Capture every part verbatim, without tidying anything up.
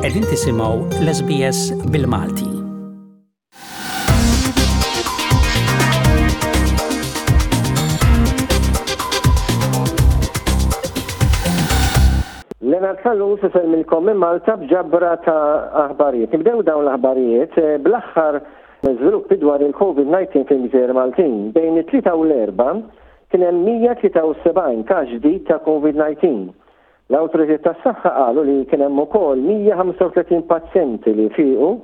Qegħdin tisimgħu l-S B S bil-Malti. Leonard Callus isellmilkom minn Malta b'ġabra ta' aħbarijiet. Nibdew dawn l-aħbarijiet eh, bl-aħħar żviluppi dwar il-COVID nineteen fil-Gżejjer Maltin. Bejn it-Tlieta u l-Erbgħa kien hemm mija tlieta u sebgħin każ ġdid ta' COVID nineteen. L-awtoritajiet tas-saħħa qalu li kien hemm ukoll mija ħamsa u tletin pazjenti li fiequ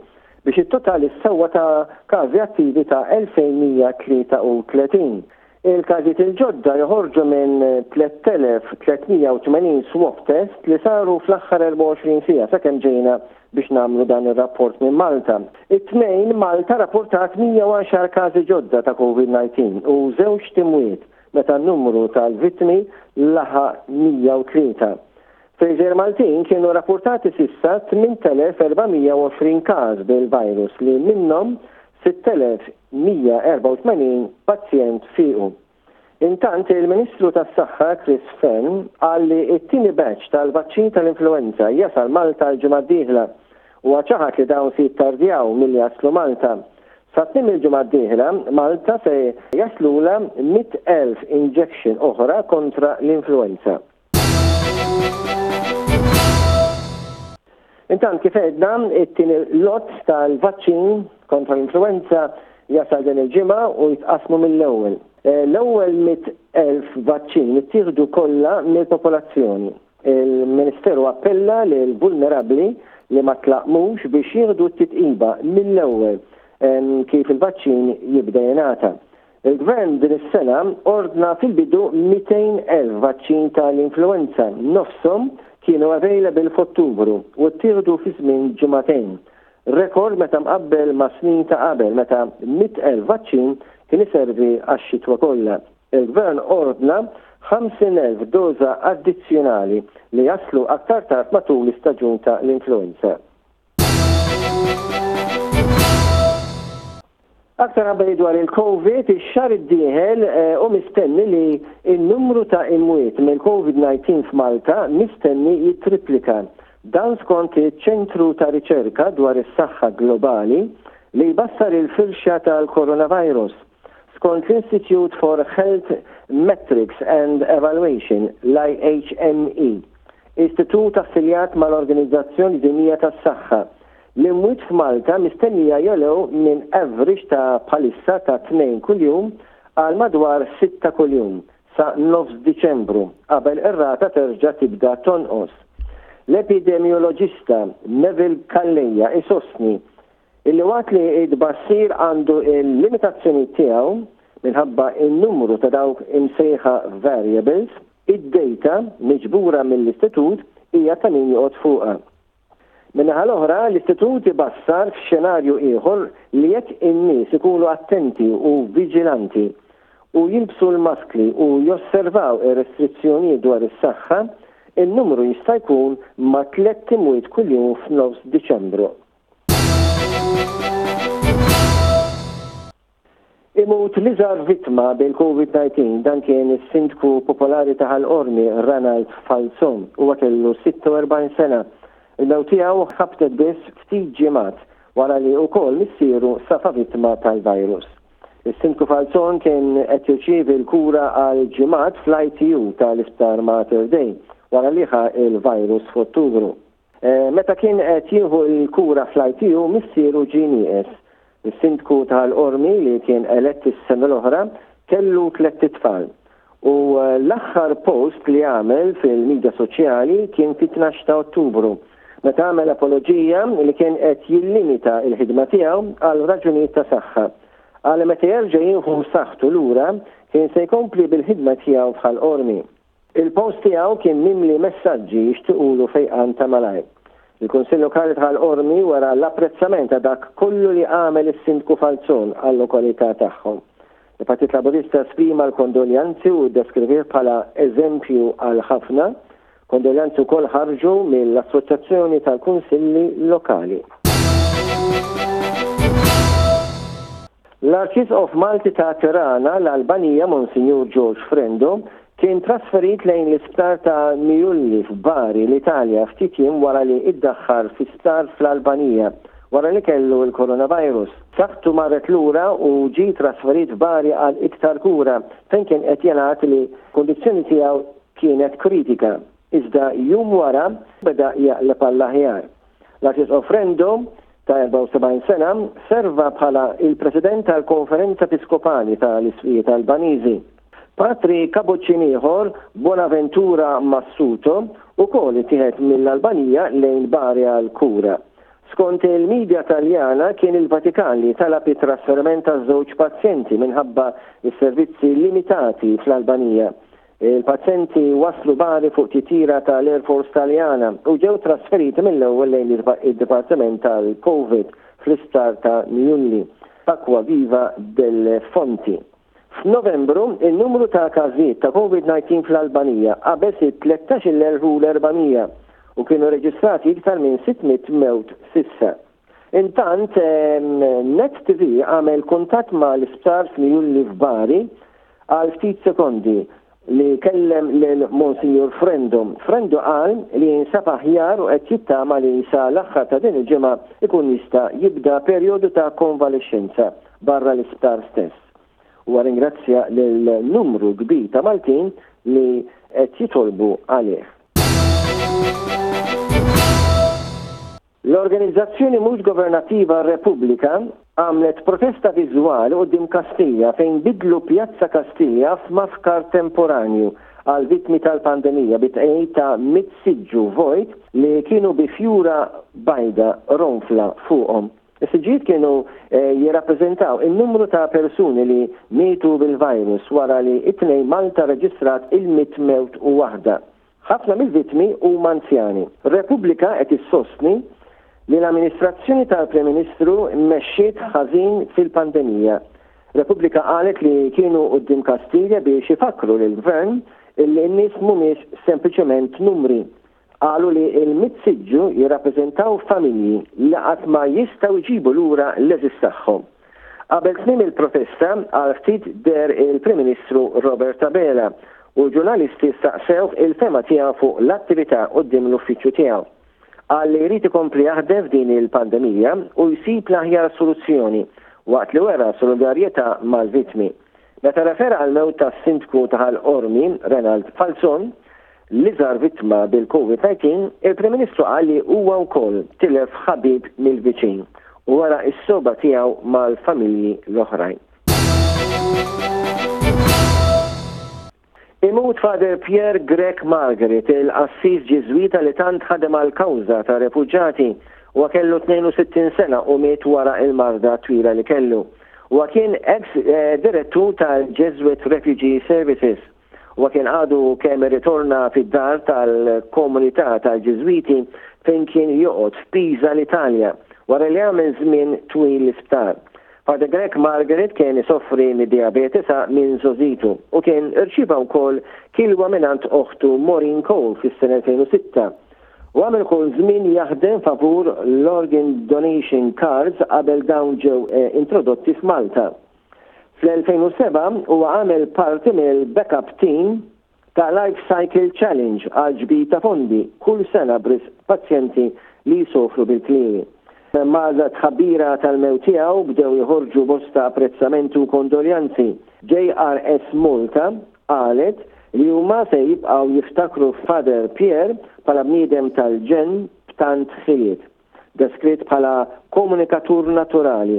biex it-total issa huwa ta' każi attivi ta' elfejn mija tlieta u tletin. Il-każijiet il-ġodda joħorġu minn tliet elef tliet mija u tmenin swab test li saru fl-aħħar erbgħa u għoxrin siegħa sakemm ġejna biex nagħmlu dan ir-rapport minn Malta. It-Tnejn, Malta rapportat mija u għaxar każi ġodda ta' COVID nineteen u żewġ imwiet meta n-numru tal-vittmi laħaq mija u tlieta. Fil-Gżejjer Maltin kienu rapportati s'issa tmint elef erba' mija u għoxrin każ bil-virus li minnhom sitt elef mija erbgħa u tmenin pazjent fiequ. Intant, il-Ministru tas-Saħħa Chris Fearne qal li t-tieni batch tal-vaċċin tal-influenza jasal Malta l-ġimgħa d-dieħla u ċaħad li dawn se jittardjaw milli jaslu Malta. Sa tmiem il-ġimgħa d-dieħla, Malta se jaslula mitt elf injection oħra kontra l-influenza. Intant, kif għedna, it-tieni lot tal-vaċċin kontra l-influenza jasal din il-ġimgħa u jitqasmu mill-ewwel. Eh, l-ewwel mitt elf vaċċin ittieħdu kollha mill-popolazzjoni. Il-Ministeru appella lil vulnerabbli li ma tlaqmux biex jieħdu t-titqiba mill-ewwel kif il-vaċċin jibda jingħata. Il-Gvern din is-sena ordna fil-bidu mitejn elf vaċċin tal-influenza, nofshom kienu available f'Ottubru u ttieħdu fi żmien ġimagħtejn. Rekord meta mqabbel ma' snin ta' qabel, meta mitt elf vaċċin kien iservi għax-xitwa kollha. Il-Gvern ordna ħamsin elf doża addizzjonali li jaslu aktar tard matul l-istaġun ta' l-influenza. Aktar aħbarijiet dwar il-Covid, ix-xahar id-dieħel eh, u mistenni li il-numru ta' imwiet mill-COVID nineteen f'Malta mistenni jitriplika. Dan skont iċ-Ċentru ta' Riċerka dwar is-Saħħa Globali li jbassar il-firxa tal-coronavirus. Skont l-Institute for Health Metrics and Evaluation, l-I H M E, istitut affiljat mal-Organizzazzjoni Dinjija tas-Saħħa, l-imwiet f'Malta mistennija jogħlew minn average ta' bħalissa ta' tnejn kuljum għal madwar sitta kuljum sa' nofs Diċembru qabel ir-rata terġa' tibda tonqos. L-epidemioloġista Neville Calleja isostni illi waqt li id-bassir għandu il-limitazzjoni tiegħu minħabba il-numru ta' dawk imsejħa variables, id-data miġbura mill-istitut hija ta' min joqgħod fuqha. Min-naħa l-oħra, l-istitut ibassar f'xenarju ieħor li jekk in-nies ikunu attenti u viġilanti u jilbsu l-maskli u josservaw ir-restrizzjonijiet dwar is-saħħa, il-numru jista' jkun ma' tliet imwiet kuljum f'nofs Diċembru. Imut l-iżgħar vittma bil-COVID nineteen. Dan kien is-sindku popolari ta' Ħal Qormi, Ranald Falzon. Huwa kellu sitta u erbgħin sena. Il-mewt tiegħu ħabtet biss ftit ġimgħat wara li wkoll missieru safa vittma tal-virus. Is-sindku Falzon kien qed jirċievi l-kura għal ġimgħat fl-I T U tal-Isptar Mater Dei wara li ħa il-virus f'Ottubru. Eh, meta kien qed jieħu l-kura fl-I T U, missieru ġie nieqes. Is-sindku tal-Qormi, li kien elett is-sena l-oħra, kellu tliet itfal. U eh, l-aħħar post li għamel fil-medja soċjali kien fit-tnax ta' Ottubru, meta għamel apoloġija li kien qed jillimita il-ħidma tiegħu għal raġunijiet ta' saħħa. Għal meta jerġa' jieħu saħħtu lura kien se jkompli bil-ħidma tiegħu f'Ħal Qormi. Il-post tiegħu kien mimli messaġġi jixtiqulu fejqan ta' malajr. Il-Kunsill Lokali ta' Ħal Qormi wera l-apprezzament ta' dak kollu li għamel is-Sindku Falzon għal-lokalità tagħhom. Il-Partit Laburista esprima l-kondoljanzi u ddeskrivih bħala eżempju għal ħafna. Kondoljanzi wkoll ħarġu mill-Assoċjazzjoni tal-Kunsilli Lokali. L-Arċisqof Malti ta' Tirana, l-Albanija, Monsinjur George Frendo, Kien trasferit lejn l-isptar ta' Miulli f'Bari, l-Italja, ftit jiem wara li iddaħħal fi sptar fl-Albanija wara li kellu l-coronavirus. Saħħtu marret lura u ġie trasferit f'Bari għal iktar kura fejn kien qed jingħad li kundizzjoni tiegħu kienet kritika. Iżda jum wara beda jaqleb għall-aħjar. L-Arċisqof Frendo ta' erbgħa u sebgħin sena serva bħala il-President tal-Konferenza Episkopali tal-Isqfijiet Albaniżi. Patri Kapuċċin ieħor, Bonaventura Massuto, ukoll ittieħed mill-Albanija lejn Bari għal kura. Skont il-medja Taljana, kien il-Vatikan li talab it-trasferiment ta' żewġ pazjenti minħabba is-servizzi limitati fl-Albanija. Il-pazjenti waslu Bari fuq titjira tal-Air Force Taljana u ġew trasferiti mill-ewwel lejn id-Dipartiment tal-Covid fl-isptar ta' Miulli, Acquaviva delle Fonti. F'Novembru, il-numru ta' każijiet ta' COVID nineteen fl-Albanija qabeż it-tlettax-il elf u erba' mija u kienu reġistrati iktar minn sitt mitt mewt s'issa. Intant, Net T V għamel kuntatt ma' l-isptar f'Miulli f'Bari għal ftit sekondi li kellem lil Monsignor Frendo. Frendo qal li jinsab aħjar u qed jittama li sa l-aħħar ta' din il-ġimgħa ikun jista' jibda perjodu ta' konvalescenza barra l-isptar stess. U ringrazzja lil numru kbir ta' Maltin li qed jitolbu għalih. L-organizzazzjoni mhux governattiva Repubblika għamlet protesta viżwali quddiem Kastilja fejn bidlu Pjazza Kastilja f'mafkar temporanju għal vittmi tal-pandemija bit ta' mitt siġġu vojt li kienu bi fjura bajda ronfla fuqhom. Is-siġġijiet kienu eh, jirrappreżentaw il-numru ta' persuni li mietu bil-virus wara li it-Tnejn Malta reġistrat il-mitt mewt u waħda. Ħafna mill-vittmi huma anzjani. Repubblika qed issostni li l-amministrazzjoni tal-Prim Ministru mexxiet ħażin fil-pandemija. Repubblika qalet li kienu quddiem Kastilja biex ifakru lill-gvern illi n-nies mhumiex sempliċement numri. Qalu li il-mitt siġġu jirrappreżentaw familji li qatt ma jistgħu jġibu lura l-għeżież tagħhom. Qabel tmiem il-protesta għal ftit deher il-Prim Ministru Robert Abela u ġurnalisti staqsew il-fehma tiegħu fuq l-attività quddiem l-uffiċċju tiegħu. Qal li jrid ikompli jaħdem f'din il-pandemija u jsib l-aħjar soluzzjoni waqt li wera solidarjetà mal-vittmi. Meta refera għal mewt tas-sindku ta' Ħal Qormi, Renald Falzon, l-iżgħar vittma bil-COVID nineteen, il-Prim Ministru qal li huwa wkoll tilef ħabib mill-viċin u wera s-sogħba tiegħu mal-familji l-oħrajn. Imut Father Pierre Grech Margaret, il-qassis Ġiżwita li tant ħadem għal kawża ta' refuġati. Huwa kellu tnejn u sittin sena u miet wara il-marda twila li kellu. Huwa kien ex eh, direttur tal-Jesuit Refugee Services. Huwa kien għadu kemm ritorna fid-dar tal-komunità tal-Ġiżwiti fejn kien joqgħod f'Pisa, l-Italja, wara li għamel żmien twil l-isptar. Father Grech Margaret kien isofri mid-diabete sa minn żgħożitu u kien irċieva wkoll kilwa mingħand oħtu Maureen Cole fis-sena elfejn u sitta. U għamel ukoll żmien jaħdem favur l-Organ Donation Cards qabel dawn ġew eh, introdotti f'Malta. Fl-elfejn u sebgħa huwa għamel parti mill-backup team ta' Life Cycle Challenge għal ġbir ta' fondi kull sena b'risq pazjenti li jsofru bil-kliewi. Mat-tħabbira tal-mewt tiegħu bdew joħorġu bosta apprezzamentu u kondoljanzi. J R S Malta qalet li huma se jibqgħu jiftakru Father Pierre bħala bniedem tal-ġenn b'tant ħiliet. Deskritt bħala komunikatur naturali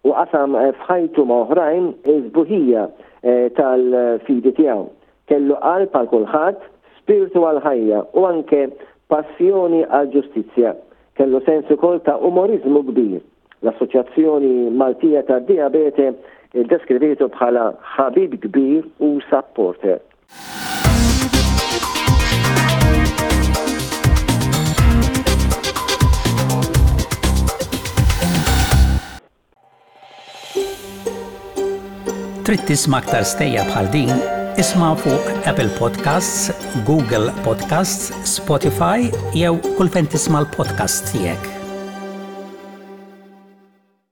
u qasam f'ħajtu ma' oħrajn iż-sbuħija eh, tal-fidi tiegħu. Kellu qalb għal kulħadd, spiritu għal ħajja u anke passjoni għal ġustizzja. Kellu sens ukoll ta' umorizmu kbir. L-Assoċjazzjoni Maltija ta' Diabete deskrivitu bħala ħabib kbir u supporter. Trid tisma' aktar stejjer bħal din? Isma' fuq Apple Podcasts, Google Podcasts, Spotify jew kull fejn tisma' l-podcast tiegħek.